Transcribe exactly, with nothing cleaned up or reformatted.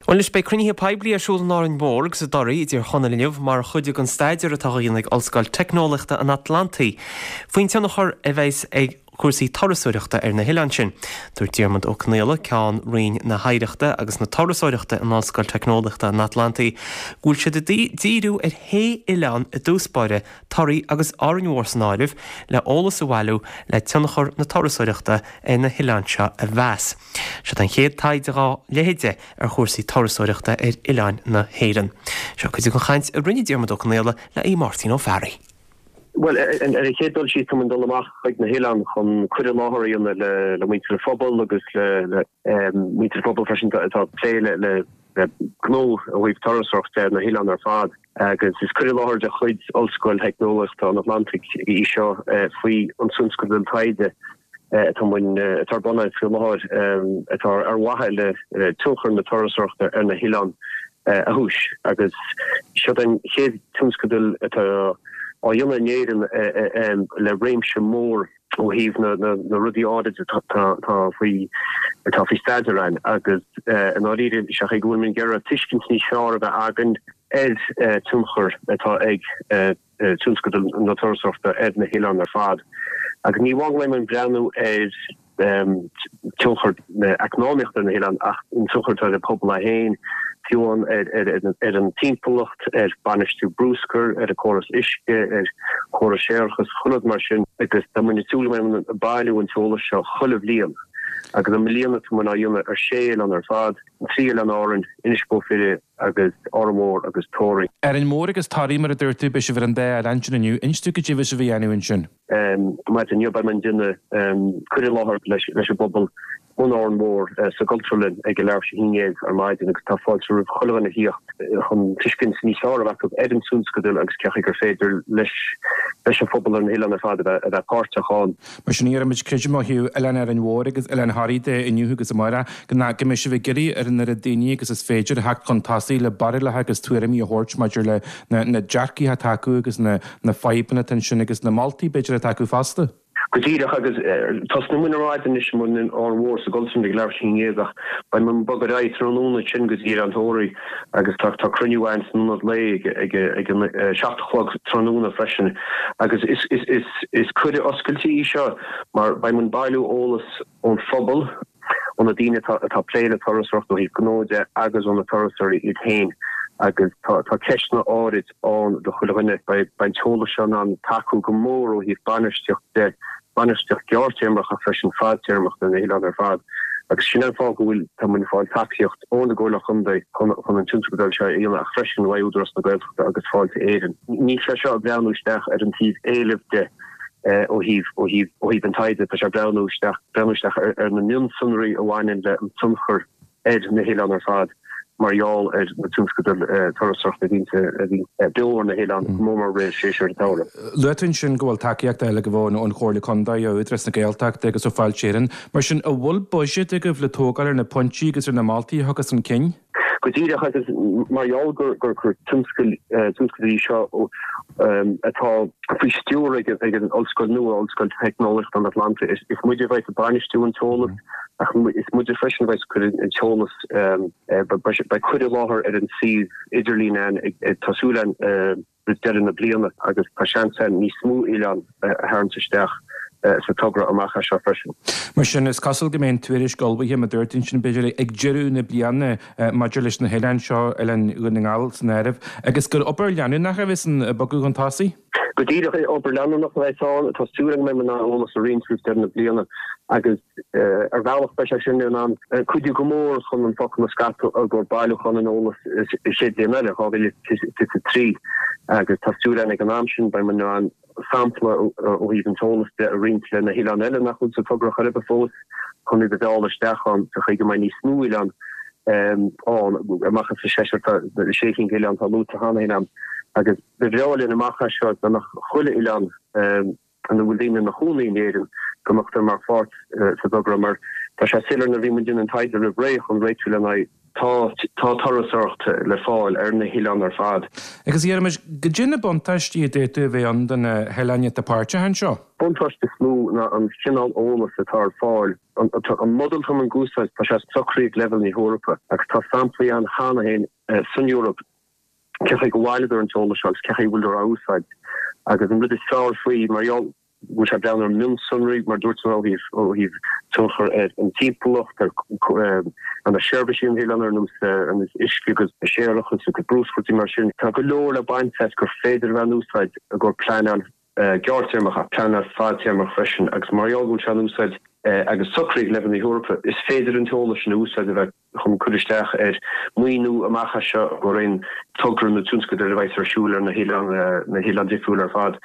Bhuel anois beidh cruinnithe poiblí ar siúl in Árainn Mhór agus i dToraí i dTír Chonaill inniu mar chuid den staidéar atá á dhéanamh ag Ollscoil Teicneolaíochta an Atlantaigh faoin tionchar a bheas ag cúrsaí turasóireachta ar na hoileáin sin. Dúirt Diarmuid Ó Conaola, Ceann Roinn na hOidhreachta agus na Turasóireachta in Ollscoil Teicneolaíochta an Atlantaigh, go bhfuil siad ag díriú ar shé oileán i dtús báire, Toraí agus Árainn Mhór san áireamh, le eolas a bhailiú le tionchar na turasóireachta ar na hoileáin seo a mheas. Seo an chéad taighde dá leithéid ar chúrsaí turasóireachta ar oileáin na hÉireann. Seo cuid den chaint a rinne Diarmuid Ó Conaola le Aodh Máirtín Ó Fearraigh. Bhuel, ar an chéad dul síos, tá muid ag dul amach chuig na hoileáin chun cur i láthair a dhéanamh le le muintir an phobail agus le le muintir an phobail freisin atá ag plé le le gnó ó thaobh turasóireachta ar na hoileáin ar fad. Agus is cur i láthair de chuid Ollscoil Theicneolaíochta an Atlantaigh í seo faoi an tionscadal taighde atá muid atá ar bun faoi láthair atá ar mhaithe le tionchar na turasóireachta ar na hoileáin a thomhas. Agus seo an chéad tionscadal atá á dhéanamh in Éirinn le réimse mór ó thaobh na rudaí áirid atá faoi atá faoi staidéar ann agus i ndáiríre is é go bhfuil muid ag iarraidh tuiscint níos fearr a bheith againn ar tionchar atá ag tionscadal na turasóireachta ar na hoileáin ar fad. Agus ní amháin go mbeidh muid ag breathnú ar tionchar na eacnamaíochta ar na hoileáin ach an tionchar atá ar an pobal é féin, fiú ar an timpeallacht, ar bainistiú bruscair, ar an córas uisce, ar chóras séarachais, chuile rud mar sin. Agus tá muid ag súil go mbeidh muid ag bailiú an t-eolas seo chuile bhliain. Agus i mbliana tá muid á dhéanamh ar sé oileán ar fad, an trí oileán Árainn, Inis Bó Finne agus Árainn Mhór agus Tóraí. Árainn Mhór agus Toraí mar a dúirt tú, beidh sibh ar an dá oileán sin inniu. Inis dúinn cad é a bheidh sibh a dhéanamh ansin. Maidin inniu beidh muid ag déanamh cur i láthair leis an bpobal in Árainn Mhór sa gCultúrlann ag a leathuair tar éis a haon déag ar maidin agus tá fáilte roimh chuile dhuine a thíocht chun tuiscint níos fearr a bheith acu ar an tionscadal agus cén chaoi gur féidir leis leis an phobal ar na hoileáin ar fad a bheith a bheith páirteach ann. Mar sin iarraimid creidim ó thaobh Oileán Árainn Mhór agus Oileán Thoraí de inniu agus amárach go go mbeidh sibh ag iarraidh ar an oiread daoine agus is féidir a theacht chun tosaigh le barúlacha agus tuairimí a thabhairt maidir le na na dearcaithe atá acu agus na na fadhbanna atá ansin agus na moltaí b'fhéidir atá acu fosta. Go díreach agus tosnóidh muid ar maidin anois in Árainn Mhór sa gCultúrlann ag leathuair tar éis a haon déag ach beidh muid ag bogadh ar aghaidh tráthnóna ansin go dtí Oileán Thoraí agus tá tá cruinniú ann san ionad lae ag ag ag an seacht a chlog tráthnóna freisin agus is is is is cuireadh oscailte í seo mar beidh muid ag bailiú eolas ón phobal, ó na daoine atá atá ag plé le turasóireacht ó thaobh gnó de agus ó na turasóirí iad féin agus tá tá ceisteanna áirid ann do chuile dhuine. Beidh an t-eolas seo in ann tacú go mór ó thaobh bainistíocht de, bainistíocht gearrthéarmach ach freisin fadtéarmach do na hoileáin ar fad agus sin an fáth go bhfuil tá muid ag fáil tacaíocht ón gComhairle Chontae chun chun an tionscadal seo a dhéanamh ach freisin uaidh Údarás na Gaeltachta agus Fáilte Éireann. Níl sé seo ag breathnú isteach ar an taobh éilimh de ó thaobh ó thaobh ó thaobh an taighde, tá sé ag breathnú isteach breathnú isteach ar ar na mionsonraí a bhaineann le an tionchar ar na hoileáin ar fad mar gheall ar na tionscadail turasóireachta a bhíonn a bhíonn beo ar na hoileáin, go mór mór i rith séasúr an tsamhraidh. Luaigh tú ansin go bhfuil tacaíocht eile go bhfuil ón Chomhairle Contae, ó Údarás na Gaeltachta agus ó Fáilte Éireann. Mar sin, an bhfuil buiséad agaibh le tógáil ar na pointí agus ar na moltaí a thiocfas chun cinn? Go díreach, agus mar gheall gur gur tionscal tionscadal í seo atá faoi stiúir ag ag an ollscoil nua, Ollscoil Teicneolaíochta an Atlantaigh, is muide a bheidh ag bainistiú an t-eolas ach is muide freisin a bheidh ag cur an t-eolas, beidh cur i láthair ar an suíomh idirlín ann tá súil againn roimh deireadh na bliana agus tá seans ann níos mó oileán a tharraingt isteach sa togra amach as seo freisin. Mar sin, is cosúil go mbeidh an tuairisc ullmhaithe, mar a dúirt tú ansin, b'fhéidir ag deireadh na bliana maidir leis na hoileáin seo, Oileán Dhún na nGall san áireamh, agus gur obair leanúnach a bheas ann ag bogadh chun tosaigh. Go díreach, obair leanúnach a bheas ann. Tá súil agam go mbeidh muid in ann eolas a roinnt roimh deireadh na bliana agus ar bhealach beidh sé sin in ann cuidiú go mór chun an focal a scaipeadh i gcomhair bailiúchán an eolais sa chéad bhliain eile, dhá mhíle is fiche a trí, agus tá súil againn ag an am sin beidh muid in ann sampla ó thaobh an t-eolas de a roinnt le na hoileáin eile nach bhfuil sa togra chor ar bith fós chun iad a mhealladh isteach ann sa chaoi go mbeidh níos mó oileán ann amach as an seisear tá sé cinn d'oileáin atá luaite cheana féin agam agus ba bhreá linn amach as seo dá mbeadh chuile oileán ina bhfuil daoine ina chónaí in Éirinn go mbeadh mar pháirt sa dtogra mar tá sé soiléir nuair a bhí muid ag déanamh an taighde roimh ré chun réitiú le haghaidh Tá tá turasóireacht le fáil ar na hoileáin ar fad. Agus iarraimid goidé na buntáistí a d'fhéadfadh a bheith ann do na hoileáin atá páirteach anseo. Buntáiste is mó ná an cineál eolas atá ar fáil. An an model atá muid ag úsáid tá sé socraithe ag leibhéal na hEorpa agus tá samplaí ann cheana féin san Eoraip cé chaoi go bhfaightear an t-eolas seo agus cé chaoi a bhfuil á úsáid. Agus an rud is fearr faoi mar gheall go bhfuil sé ag breathnú ar mhionsonraí mar dúirt mé ó thaobh ó thaobh tionchar ar an timpeallacht ar ar na seirbhísí an oileáin ar nós ar nós uisce agus séarachas agus bruscar mar sin. Tá go leor le baint as gur féidir a bheith in úsáid i gcomhair pleanáil gearrthéarmach ach pleanáil fadtéarmach freisin agus mar gheall go bhfuil sé in úsáid agus socraithe ag leibhéal na hEorpa is féidir an t-eolas sin a úsáid a bheith chun cur isteach ar maoiniú amach as seo go aon togra nó tionscadal a bheidh ar siúl ar na hoileáin na hoileáin difriúla ar fad.